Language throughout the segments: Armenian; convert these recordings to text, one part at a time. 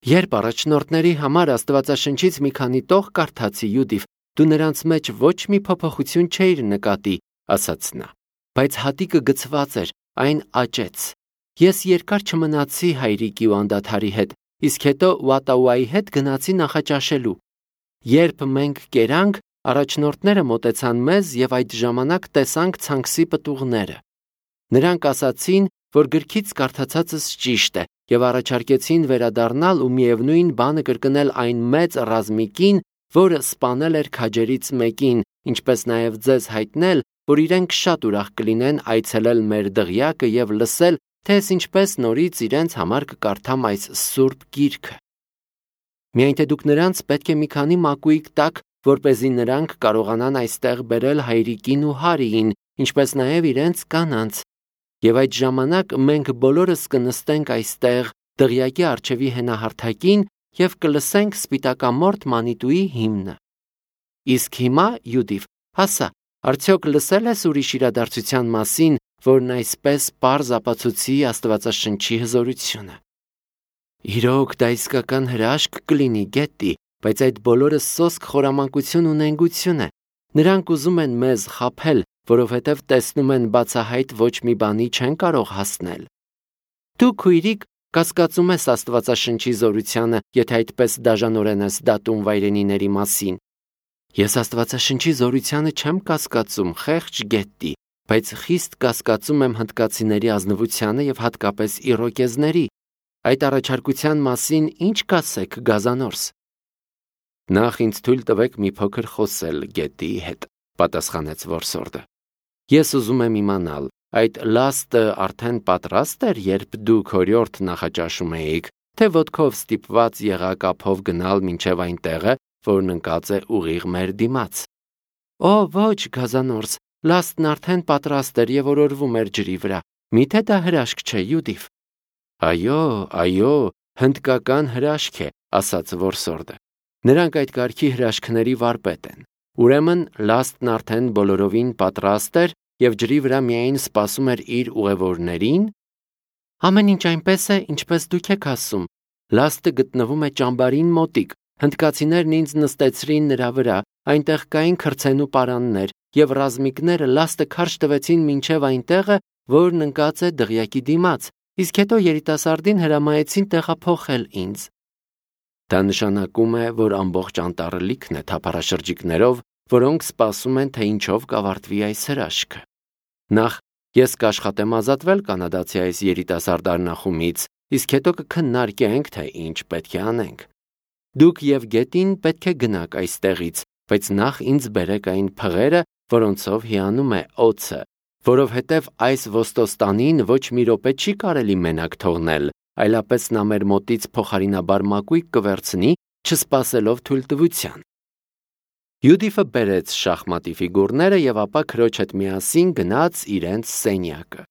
Երբ առաջնորդների համար Աստվածաշնչից մի քանի տող կարդացի, Յուդիվ, դու նրանց մեջ ոչ մի փոփոխություն չէիր նկատի, ասաց նա, բայց հատիկը գցված էր, այն աճեց։ Ես երկար չմնացի հայրիկի ու անդադարի հետ, իսկ հետո Ուատաուայի հետ գնացի նախաճաշելու։ Երբ մենք կերանք, առաջնորդները մոտեցան մեզ և այդ ժամանակ տեսանք ցանքսի պտուղները։ Նրանք ասացին, որ գրքից կարդացածս ճիշտ է, և առաջարկեցին վերադառնալ ու միևնույն բանը կրկնել այն մեծ ռազմիկին, որը սպանել էր քաջերից մեկին, ինչպես նաև ձեզ հայտնել, որ իրենք շատ ուրախ կլինեն այցելել մեր դղյակը և լսել, թե ես ինչպես նորից իրենց համար կկարդամ այս սուրբ գիրքը։ Միայն թե դուք նրանց պետք է մի քանի մակույկ տաք, որպեսզի նրանք կարողանան այստեղ բերել հայրիկին ու Հարիին, ինչպես նաև իրենց կանանց։ Եվ այդ ժամանակ մենք բոլորս կնստենք այստեղ դղյակի առջևի հենահարթակին և կլսենք սպիտակամորթ մանիտուի հիմնը։ Իսկ հիմա, Յուդիվ, ասա, արդյոք լսել ես ուրիշ իրադարձության մասին, որն այսպես պարզ ապացուցի Աստվածաշնչի հզորությունը։ Իրոք դա իսկական հրաշք կլինի, Գետտի, բայց այդ բոլորը սոսկ խորամանկություն ու նենգություն է։ Նրանք ուզում են մեզ խաբել, որովհետև տեսնում են բացահայտ ոչ մի բանի չեն կարող հասնել։ Դու, քույրիկ, կասկածում ես Աստվածաշնչի զորությանը, եթե այդպես դաժանորեն ես դատում վայրենիների մասին։ Ես Աստվածաշնչի զորությանը չեմ կասկածում, խեղճ Գետտի, բայց խիստ կասկածում եմ հնդկացիների ազնվությանը և հատկապես իրոկեզների։ Այդ առաջարկության մասին ինչ կասեք, Գազանորս։ Նախ ինձ թույլ տվեք մի փոքր խոսել Գետտիի հետ, պատասխանեց որսորդը։ Ես ուզում եմ իմանալ, այդ լաստը արդեն պատրաստ էր, երբ դուք օրիորդ նախաճաշում էիք, թե ոտքով ստիպված եղաք ափով գնալ մինչև այն տեղը, որն ընկած է ուղիղ մեր դիմաց։ Օ, ոչ, Գազանորս, լաստն արդեն պատրաստ էր և օրորվում էր ջրի վրա։ Միթե դա հրաշք չէ, Յուդիվ։ Այո, հնդկական հրաշք է, ասաց որսորդը։ Նրանք այդ կարգի հրաշքների վարպետ են։ Ուրեմն լաստն արդեն բոլորովին պատրաստ էր և ջրի վրա միայն սպասում էր իր ուղևորներին։ Ամեն ինչ այնպես է, ինչպես դուք եք ասում։ Լաստը գտնվում է ճամբարին մոտիկ։ Հնդկացիներն ինձ նստեցրին նրա վրա, այնտեղ կային քրձենու պարաններ, և ռազմիկները լաստը քարշ տվեցին մինչև այն տեղը, որն ընկած է դղյակի դիմաց, իսկ հետո երիտասարդին հրամայեցին տեղափոխել ինձ։ Դա նշանակում է, որ ամբողջ անտառը լիքն է թափառաշրջիկներով, որոնք սպասում են, թե ինչով կավարտվի այս հրաշքը։ Նախ ես կաշխատեմ ազատվել կանադացի այս երիտասարդ առնախումից, իսկ հետո կքննարկենք, թե ինչ պետք է անենք։ Դուք և Գետին պետք է գնաք այստեղից, բայց նախ ինձ բերեք այն փղերը, որոնցով հիանում է օձը, որովհետև այս ոստոստանին ոչ մի րոպե չի կարելի մենակ թողնել, այլապես նա մեր մոտից փոխարինաբար մակույկ կվերցնի, չսպասելով թույլտվության։ Յուդիֆը բերեց շախմատի ֆիգուրները և ապա քրոջ հետ միասին գնաց իրենց սենյակը։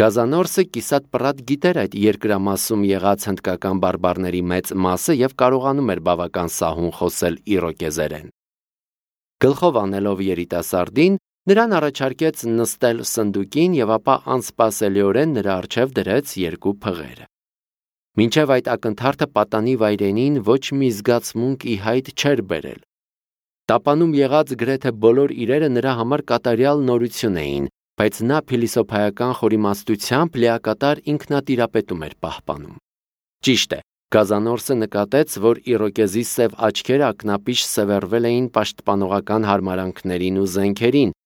Գազանորսը կիսատ-պռատ գիտեր այդ երկրամասում եղած հնդկական բարբառների մեծ մասը և կարողանում էր բավական սահուն խոսել իրոկեզերեն։ Գլխով անելով երիտասարդին, նրան առաջարկեց նստել սնդուկին և ապա անսպասելիորեն նրա առջև դրեց երկու փղերը։ Մինչև այդ ակնթարթը պատանի վայրենին ոչ մի զգացմունք ի հայտ չէր բերել։ Տապանում եղած գրեթե բոլոր իրերը նրա համար կատարյալ նորություն էին, բայց նա փիլիսոփայական խորիմաստությամբ լիակատար ինքնատիրապետում էր պահպանում։ Ճիշտ է, Գազանորսը նկատեց, որ իրոկեզի սև աչքերը ակնապիշ սևեռվել էին պաշտպանողական հարմարանքներին ու զենքերին,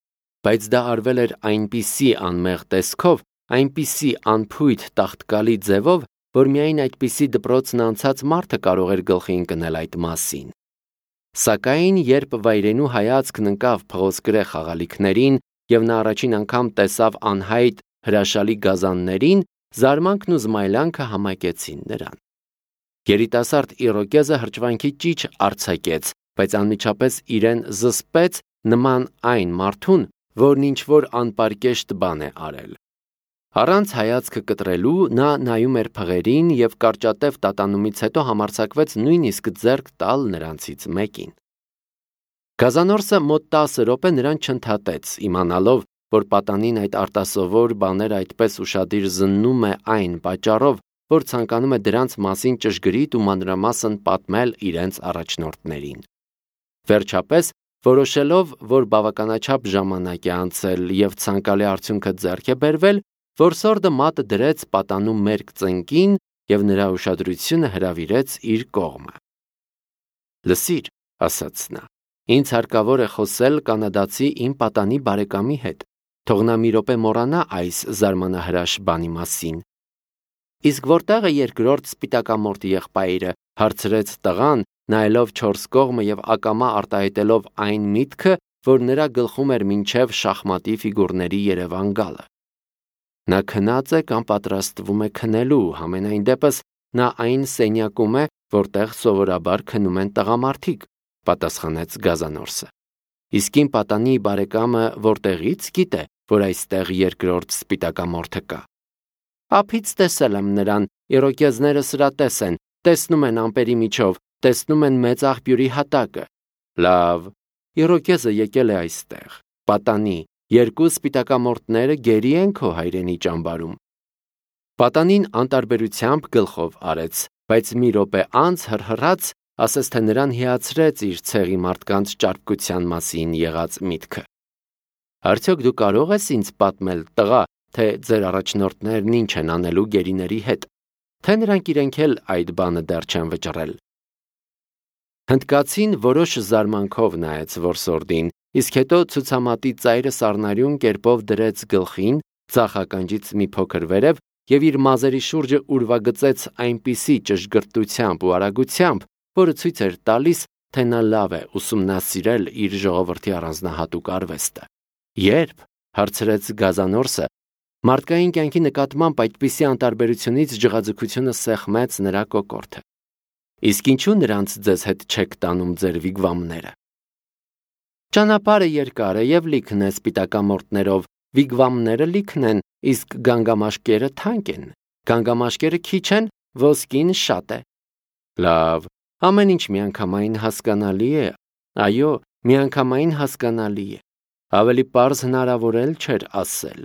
բայց դա արվել էր այնպիսի անմեղ տեսքով, այնպիսի անփույթ տաղտկալի ձևով, որ միայն այդպիսի դպրոցն անցած մարդը կարող էր գլխի ընկնել այդ մասին։ Սակայն, երբ վայրենու հայացքն ընկավ փղոսկրե խաղալիքներին և նա առաջին անգամ տեսավ անհայտ հրաշալի գազաններին, զարմանքն ու զմայլանքը համակեցին նրան։ Երիտասարդ իրոկեզը հրճվանքի ճիչ արձակեց, բայց անմիջապես իրեն զսպեց նման այն մարդուն, որն ինչ-որ անպարկեշտ բան է արել։ Առանց հայացքը կտրելու նա նայում էր փղերին և կարճատև տատանումից հետո համարձակվեց նույնիսկ ձեռք տալ նրանցից մեկին։ Գազանորսը մոտ 10 րոպե նրան չընդհատեց, իմանալով, որ պատանին այդ արտասովոր բաները այդպես ուշադիր զննում է այն պատճառով, որ ցանկանում է դրանց մասին ճշգրիտ ու մանրամասն պատմել իրենց առաջնորդներին։ Վերջապես, որոշելով, որ բավականաչափ ժամանակ է անցել և ցանկալի արդյունքը ձեռք է բերվել, որսորդը մատը դրեց պատանու մերկ ծնկին և նրա ուշադրությունը հրավիրեց իր կողմը։ «Լսիր», ասաց նա, «ինձ հարկավոր է խոսել կանադացի իմ պատանի բարեկամի հետ, թող նա մի րոպե մոռանա այս զարմանահրաշ բանի մասին»։ «Իսկ որտեղ է երկրորդ սպիտակամորթ եղբայրը», հարցրեց տղան, նայելով չորս կողմը և ակամա արտահայտելով այն միտքը, որ նրա գլխում էր մինչև շախմատի ֆիգուրների երևան գալը։ «Նա քնած է կամ պատրաստվում է քնելու, համենայն դեպս նա այն սենյակում է, որտեղ սովորաբար քնում են տղամարդիկ», պատասխանեց Գազանորսը։ «Իսկ իմ պատանի բարեկամը որտեղից գիտե, որ այստեղ երկրորդ սպիտակամորթը կա»։ «Ափից տեսել եմ նրան, իրոկեզները սրատես են, տեսնում են ամպերի միջով, տեսնում են մեծ աղբյուրի հատակը»։ «Լավ, իրոկեզը եկել է այստեղ, պատանի, երկու սպիտակամորթները գերի են քո հայրենի ճամբարում»։ Պատանին անտարբերությամբ գլխով արեց, բայց մի րոպե անց հռհռաց, ասես թե նրան հիացրեց իր ցեղի մարդկանց ճարպկության մասին եղած միտքը։ «Արդյոք դու կարող ես ինձ պատմել, տղա, թե ձեր առաջնորդներն ինչ են անելու գերիների հետ, թե նրանք իրենք էլ այդ բանը դեռ չեն վճռել»։ Հնդկացին որոշ զարմանքով նայեց որսորդին, իսկ հետո ցուցամատի ծայրը սառնարյուն կերպով դրեց գլխին, ձախ ականջից մի փոքր վերև և իր մազերի շուրջը ուրվագծեց այնպիսի ճշգրտությամբ ու արագությամբ, որը ցույց էր տալիս, թե նա լավ է ուսումնասիրել իր ժողովրդի առանձնահատուկ արվեստը։ «Ե՞րբ», հարցրեց Գազանորսը, մարդկային կյանքի նկատմամբ այդպիսի անտարբերությունից ջղաձգությունը սեղմեց նրա կոկորդը։ «Իսկ ինչու նրանց ձեզ հետ չեք տանում ձեր վիգվամները»։ «Ճանապարհը երկար է և լիքն է սպիտակամորթներով, վիգվամները լիքն են, իսկ գանգամաշկերը թանկ են, գանգամաշկերը քիչ են, ոսկին շատ է»։ «Լավ, ամեն ինչ միանգամայն հասկանալի է, այո, միանգամայն հասկանալի է, ավելի պարզ հնարավոր էլ չէր ասել։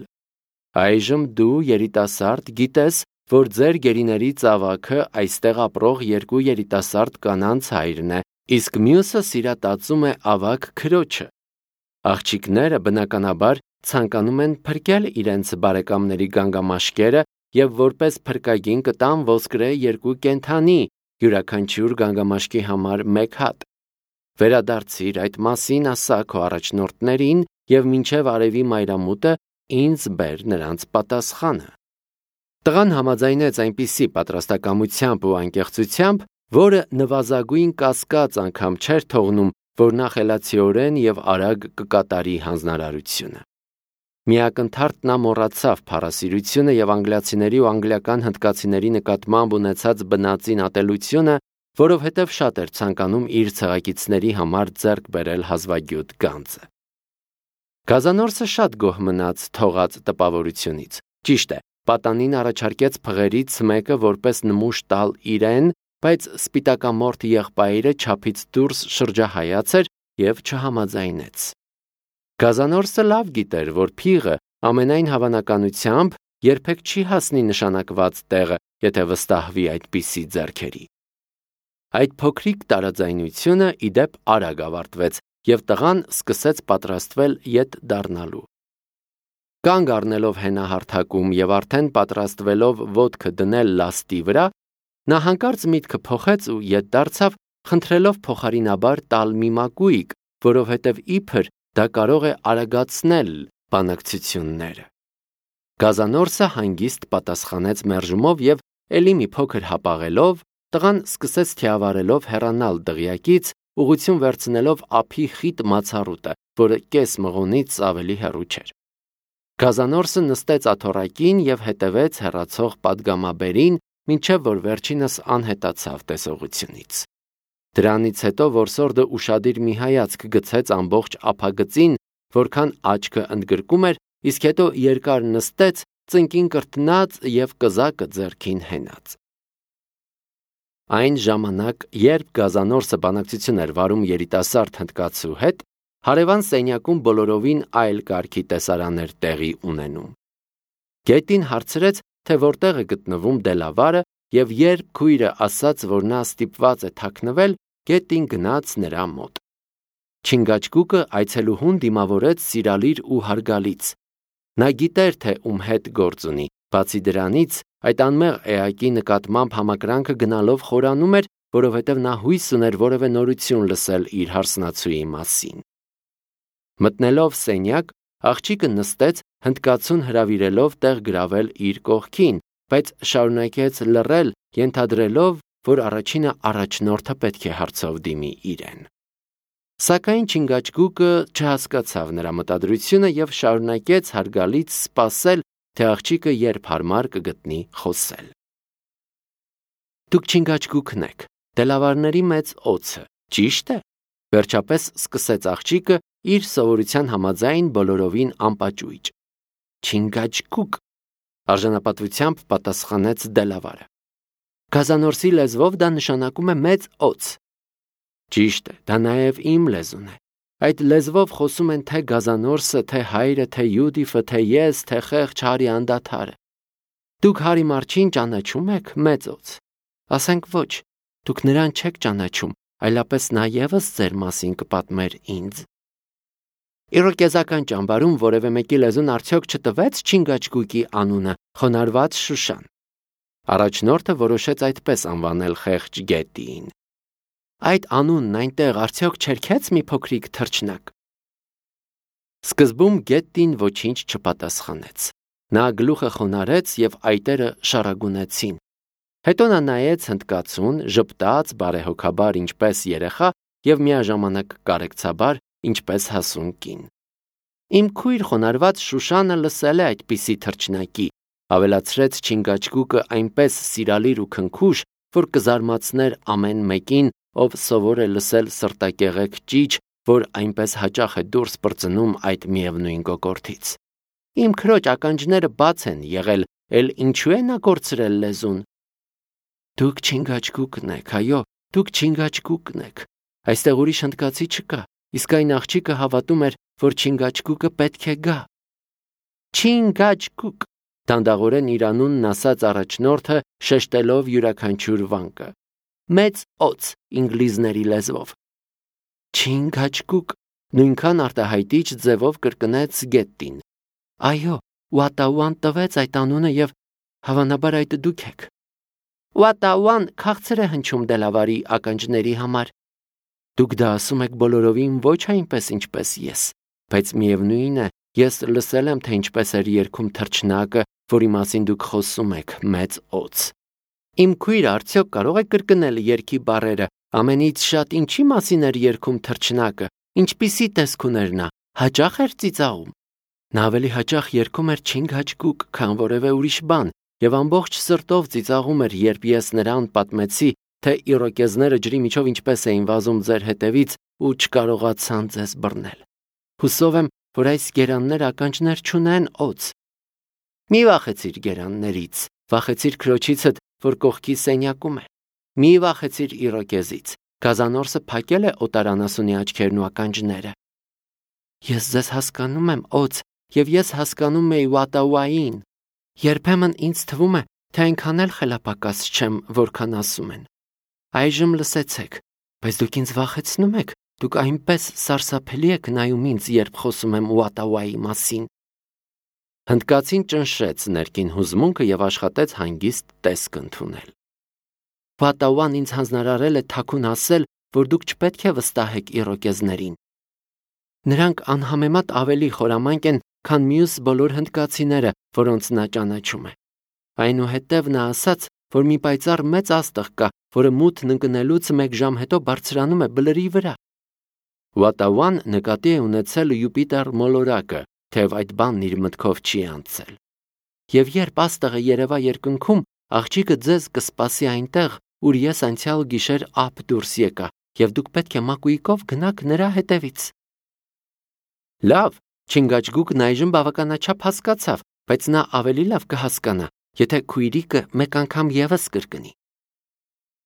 Այժմ դու, երիտասարդ, գիտես, որ ձեր գերիների ծավաքը այստեղ ապրող երկու երիտասարդ կանանց հայրն է, իսկ մյուսը սիրատացում է ավագ քրոջը։ Աղջիկները բնականաբար ցանկանում են փրկել իրենց բարեկամների գանգամաշկերը և որպես փրկագին կտան ոսկրե երկու կենդանի, յուրաքանչյուր գանգամաշկի համար մեկ հատ։ Վերադարձիր այդ մասին ասա քո առաջնորդներին և մինչև արևի մայրամուտը ինձ բեր նրանց պատասխանը։ Տղան համաձայնեց այնպիսի պատրաստակամությամբ ու անկեղծությամբ, որը նվազագույն կասկած անգամ չէր թողնում, որ նա խելացիորեն և արագ կկատարի հանձնարարությունը։ Միակնթարթ նա մոռացավ փառասիրությունը և անգլիացիների ու անգլիական հնդկացիների նկատմամբ ունեցած բնածին ատելությունը, որովհետև շատ էր ցանկանում իր ցեղակիցների համար ձեռք բերել հազվագյուտ գանձը։ Գազանորսը շատ գոհ մնաց թողած տպավորությունից։ Ճիշտ է, պատանին առաջարկեց փղերից մեկը որպես նմուշ տալ իրեն, բայց սպիտակամորթ եղբայրը չափից դուրս շրջահայաց էր և չհամաձայնեց։ Գազանորսը լավ գիտեր, որ փիղը ամենայն հավանականությամբ երբեք չի հասնի նշանակված տեղը, եթե վստահվի այդպիսի ձեռքերի։ Այդ փոքրիկ տարաձայնությունը ի դեպ արագ ավարտվեց, և տղան սկսեց պատրաստվել ետ դառնալու։ Կանգ առնելով հենահարթակում և արդեն պատրաստվելով ոտքը դնել լաստի վրա, նա հանկարծ միտքը փոխեց ու ետ դարձավ, խնդրելով փոխարինաբար տալ մի մակույկ, որովհետև իբր դա կարող է արագացնել բանակցությունները։ Գազանորսը հանգիստ պատասխանեց մերժումով և էլի մի փոքր հապաղելով, տղան սկսեց թիավարելով հեռանալ դղյակից, ուղղություն վերցնելով ափի խիտ մացառուտը, որը կես մղոնից ավելի հեռու չէր։ Գազանորսը նստեց աթոռակին և հետևեց հեռացող պատգամաբերին, մինչև որ վերջինս անհետացավ տեսողությունից։ Դրանից հետո որսորդը ուշադիր մի հայացք գցեց ամբողջ ափագծին, որքան աչքը ընդգրկում էր, իսկ հետո երկար նստեց, ծնկին կրտնած և կզակը ձեռքին հենած։ Այն ժամանակ, երբ Գազանորսը բանակցություն էր վարում երիտասարդ հնդկացու հետ, հարևան սենյակում բոլորովին այլ կարգի տեսարան էր տեղի ունենում։ Գետին հարցրեց, թե որտեղ է գտնվում Դելավարը, եւ երբ քույրը ասաց, որ նա ստիպված է թաքնվել, գետին գնաց նրա մոտ։ Չինգաչգուկը այցելուհուն դիմավորեց սիրալիր ու հարգալից։ Նա գիտեր, թե ում հետ գործ ունի, բացի դրանից, այդ անմեղ էակի նկատմամբ համակրանքը գնալով խորանում էր, որովհետև նա հույս ուներ որևէ նորություն լսել իր հարսնացուի մասին։ Մտնելով սենյակ, աղջիկը նստեց, հնդկացուն հրավիրելով տեղ գրավել իր կողքին, բայց շարունակեց լռել, ենթադրելով, որ առաջինը առաջնորդը պետք է հարցով դիմի իրեն։ Սակայն Չինգաչգուկը չհասկացավ նրա մտադրությունը եւ շարունակեց հարգալից սպասել, թե աղջիկը երբ հարմար կգտնի խոսել։ Դուք Չինգաչգուկն եք, դելավարների մեծ օձը, ճիշտ է։ Վերջապես սկսեց աղջիկը իր սովորության համաձայն բոլորովին անպաճույճ։ Չինգաչգուկ, արժանապատվությամբ պատասխանեց դելավարը։ Գազանորսի լեզվով դա նշանակում է մեծ օձ։ Ճիշտ է, դա նաև իմ լեզուն է։ Այդ լեզվով խոսում են թե Գազանորսը, թե հայրը, թե Յուդիֆը, թե ես, թե խեղճ Հարի անդադարը։ Դուք Հարի Մարչին ճանաչում եք, մեծ օձ։ Ասենք ոչ, դուք նրան չեք ճանաչում, այլապես նա ևս ձեր մասին կպատմեր ինձ։ Իրոկեզական ճամբարում որևէ մեկի լեզուն արդյոք չտվեց Չինգաչգուկի անունը, խոնարհված Շուշան։ Առաջնորդը որոշեց այդպես անվանել խեղճ գետին։ Այդ անունն այնտեղ արդյոք չերքեց մի փոքրիկ թռչնակ։ Սկզբում գետին ոչինչ չպատասխանեց։ Նա գլուխը խոնարհեց եւ այտերը շարագունեցին։ Հետո նա նայեց հնդկացուն, ժպտաց բարեհոգաբար ինչպես երեխա եւ միաժամանակ կարեկցաբար ինչպես հասուն կին։ Իմ քույր խոնարհված Շուշանը լսել է այդպիսի թռչնակի, ավելացրեց Չինգաչգուկը այնպես սիրալիր ու քնքուշ, որ կզարմացներ ամեն մեկին, ով սովոր է լսել սրտակեղեկ ճիչ, որ այնպես հաճախ է դուրս պրծնում այդ միևնույն կոկորդից։ Իմ քրոջ ականջները բաց են եղել, էլ ինչու է նա կորցրել լեզուն։ Դուք Չինգաչգուկն եք, այո, դուք Չինգաչգուկն եք։ Այստեղ ուրիշ հնդկացի չկա, իսկ այն աղջիկը հավատում էր, որ Չինգաչգուկը պետք է գա։ Չինգաչգուկ, դանդաղորեն իր անունն ասաց առաջնորդը, շեշտելով յուրաքանչյուր վանկը։ Մեծ օձ ինգլիզների լեզվով։ Չինգաչգուկ, նույնքան արտահայտիչ ձևով կրկնեց գետին։ Այո, Ուատաուան տվեց այդ անունը եւ հավանաբար այդ դուք եք։ Ուատաուան քաղցր է հնչում դելավարի ականջների համար։ Դուք դա ասում եք բոլորովին ոչ այնպես ինչպես ես, բայց միևնույն է, ես լսել եմ, թե ինչպես էր երգում թռչնակը, որի մասին դուք խոսում եք, մեծ օձ։ Իմ քույրը արդյոք կարող է կրկնել երգի բառերը, ամենից շատ ինչի մասին էր երգում թռչնակը, ինչպիսի տեսք ուներ նա, հաճախ էր ծիծաղում։ Նա ավելի հաճախ երգում էր Չինգաչգուկ, քան որևէ ուրիշ բան, եւ ամբողջ սրտով ծիծաղում էր, երբ ես նրան պատմեցի, թե իրոկեզները ջրի միջով ինչպես էին վազում ձեր հետևից ու չկարողացան ձեզ բռնել։ Հուսով եմ, որ այս գերանները ականջներ չունեն օձ։ Մի վախեցիր գերաններից, վախեցիր քրոջիցդ, որ կողքի սենյակում է։ Մի վախեցիր իրոկեզից, Գազանորսը փակել է օտարանասունի աչքերն ու ականջները։ Ես ձեզ հասկանում եմ, օձ, եւ ես հասկանում եի Ուատաուային։ Երբեմն ինձ թվում է, թե այնքան էլ խելապակաս չեմ, որքան ասում են։ Այժմ լսեցեք, բայց դուք ինձ վախեցնում եք, դուք այնպես սարսափելի եք նայում ինձ, երբ խոսում եմ Ուատաուայի մասին։ Հնդկացին ճնշեց ներքին հուզմունքը եւ աշխատեց հանգիստ տեսք ընդունել։ Ուատաուան ինձ հանձնարարել է թաքուն ասել, որ դուք չպետք է վստահեք իրոկեզներին։ Նրանք անհամեմատ ավելի խորամանկ են, քան մյուս բոլոր հնդկացիները, որոնց նա ճանաչում է։ Այնուհետև նա ասաց, որ մի պայծառ մեծ աստղ կա, որը մութն ընկնելուց 1 ժամ հետո բարձրանում է բլրի վրա։ Ուատաուան նկատի է ունեցել Յուպիտեր մոլորակը, թեև այդ բանն իր մտքով չի անցել։ Եվ երբ աստղը երևա երկնքում, աղջիկը ձեզ կսպասի այնտեղ, ուր ես անցյալ գիշեր ափ դուրս եկա, եւ դուք պետք է մակույկով գնաք նրա հետևից։ Լավ, Չինգաչգուկն այժմ բավականաչափ հասկացավ, բայց նա ավելի լավ կհասկանա, եթե քույրիկը մեկ անգամ եւս կրկնի։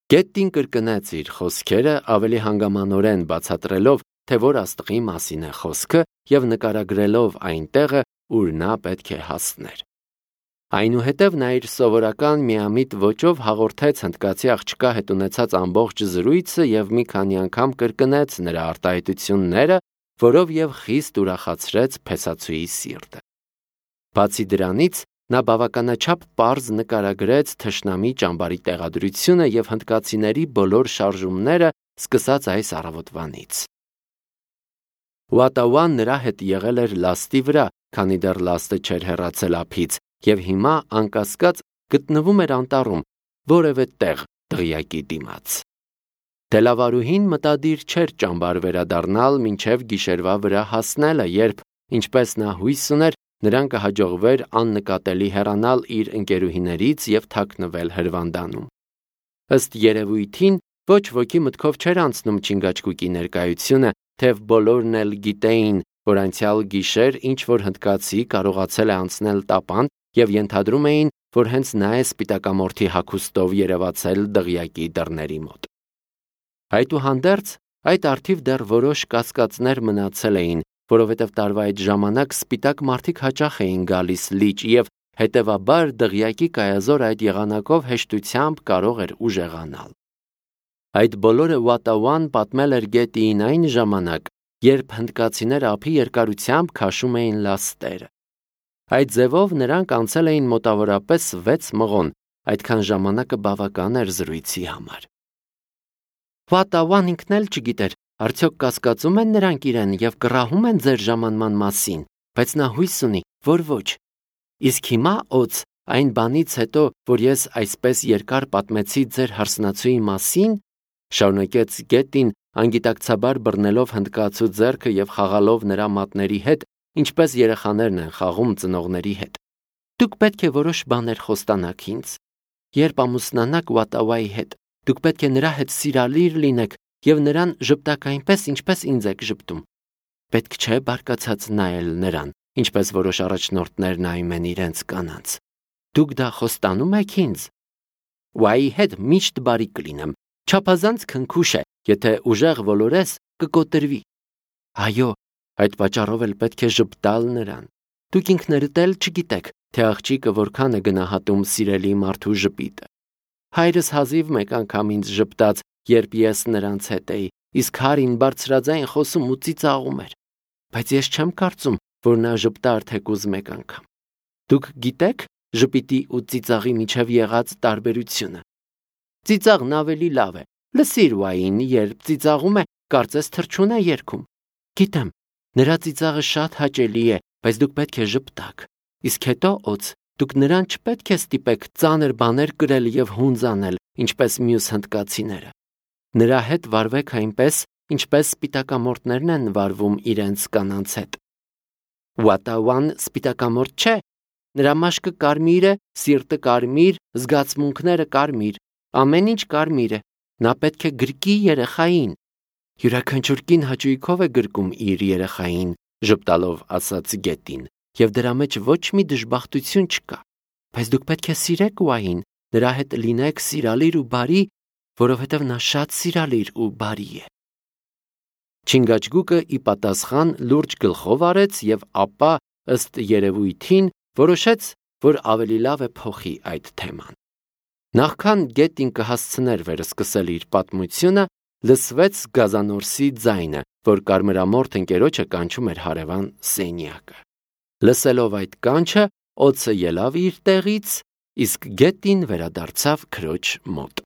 Գետին կրկնեց իր խոսքերը ավելի հանգամանորեն բացատրելով, թե որ աստղի մասին է խոսքը եւ նկարագրելով այն տեղը, ուր նա պետք է հասներ։ Այնուհետև նա իր սովորական միամիտ ոճով հաղորդեց հնդկացի աղջկա հետ ունեցած ամբողջ զրույցը եւ մի քանի անգամ կրկնեց նրա արտահայտությունները, որով եւ խիստ ուրախացրեց փեսացուի սիրտը։ Բացի դրանից, նա բավականաչափ պարզ նկարագրեց թշնամի ճամբարի տեղադրությունը եւ հնդկացիների բոլոր շարժումները սկսած այս առավոտվանից։ Ուատավան նրա հետ եղել էր լաստի վրա, քանի դեռ լաստը չէր հեռացել ափից, եւ հիմա անկասկած գտնվում էր անտառում, որևէ տեղ դղյակի դիմաց։ Դելավարուհին մտադիր չէր ճամբար վերադառնալ մինչև գիշերվա վրա հասնելը, երբ, ինչպես նա հույս ուներ, նրան կհաջողվեր աննկատելի հեռանալ իր ընկերուհիներից եւ թաքնվել հրվանդանում։ Ըստ երևույթին, ոչ ոքի մտքով չէր անցնում Չինգաչգուկի ներկայությունը, թեև բոլորն էլ գիտեին, որ անցյալ գիշեր ինչ-որ հնդկացի կարողացել է անցնել տապան եւ ենթադրում էին, որ հենց նա է սպիտակամորթի հագուստով երևացել դղյակի դռների մոտ։ Այդուհանդերձ, այդ առթիվ դեռ որոշ կասկածներ մնացել էին, որովհետև տարվա այդ ժամանակ սպիտակ մարդիկ հաճախ էին գալիս լիճ եւ հետեւաբար դղյակի կայազոր այդ եղանակով հեշտությամբ կարող էր ուժեղանալ։ Այդ բոլորը Ուատավան պատմել էր Գետիին այն ժամանակ, երբ հնդկացիները ափի երկարությամբ քաշում էին լաստերը։ Այդ ձևով նրանք անցել էին մոտավորապես 6 մղոն, այդքան ժամանակը բավական էր զրույցի համար։ Ուատավան ինքն էլ չգիտեր, արդյոք կասկածում են նրանք իրեն եւ կռահում են ձեր ժամանման մասին, բայց նա հույս ունի, որ ոչ։ Իսկ հիմա օց, այն բանից հետո, որ ես այսպես երկար պատմեցի ձեր հարսնացուի մասին, շարունակեց Գետին, անգիտակցաբար բռնելով հնդկացու ձեռքը եւ խաղալով նրա մատների հետ, ինչպես երեխաներն են խաղում ծնողների հետ։ Դուք պետք է որոշ բաներ խոստանաք ինձ։ Երբ ամուսնանաք Ուատավայի հետ, դուք պետք է նրա հետ սիրալիր լինեք եւ նրան ժպտաք այնպես, ինչպես ինձ եք ժպտում։ Պետք չէ բարկացած նայել նրան, ինչպես որոշ առաջնորդներ նայում են իրենց կանանց։ Դուք դա խոստանում եք ինձ։ Ուայի հետ միշտ բարի կլինեմ։ Չափազանց քնքուշ է, եթե ուժեղ ոլորես կկոտրվի։ Այո, այդ պատճառով էլ պետք է ժպտալ նրան։ Դուք ինքներդ էլ չգիտեք, թե աղջիկը որքան է գնահատում սիրելի մարդու ժպիտը։ Հայրս հազիվ մեկ անգամ ինձ ժպտաց, երբ ես նրանց հետ էի, իսկ հարին բարձրաձայն խոսում ու ծիծաղում էր։ Բայց ես չեմ կարծում, որ նա ժպտար թեկուզ մեկ անգամ։ Դուք գիտեք ժպիտի ու ծիծաղի միջև եղած տարբերությունը։ Ծիծաղն ավելի լավ է։ Լսիր Ուային, երբ ծիծաղում է, կարծես թռչուն է երգում։ Գիտեմ, նրա ծիծաղը շատ հաճելի է, բայց դուք պետք է ժպտաք։ Իսկ հետո օց, դուք նրան չպետք է ստիպեք ծանր բաներ կրել եւ հունձանել, ինչպես մյուս հնդկացիները։ Նրա հետ վարվեք այնպես, ինչպես սպիտակամորթներն են վարվում իրենց կանանց հետ։ Ուատավան սպիտակամորթ չէ։ Նրա մաշկը կարմիր է, սիրտը կարմիր, զգացմունքները կարմիր, ամեն ինչ կարմիր է։ Նա պետք է գրկի երեխային։ Յուրաքանչյուր կին հաճույքով է գրկում իր երեխային, ժպտալով ասաց Գետին, եւ դրա մեջ ոչ մի դժբախտություն չկա։ Բայց դուք պետք է սիրեք Ուային, նրա հետ լինեք սիրալիր ու բարի, որովհետև նա շատ սիրալիր ու բարի է։ Չինգաչգուկը ի պատասխան լուրջ գլխով արեց եւ ապա, ըստ երևույթին, որոշեց, որ ավելի լավ է փոխի այդ թեման։ Նախքան Գետին կհասցներ վերսկսել իր պատմությունը, լսվեց գազանորսի ձայնը, որ կարմրամորթ ընկերոջը կանչում էր հարևան սենյակը։ Լսելով այդ կանչը, օձը ելավ իր տեղից, իսկ Գետին վերադարձավ քրոջ մոտ։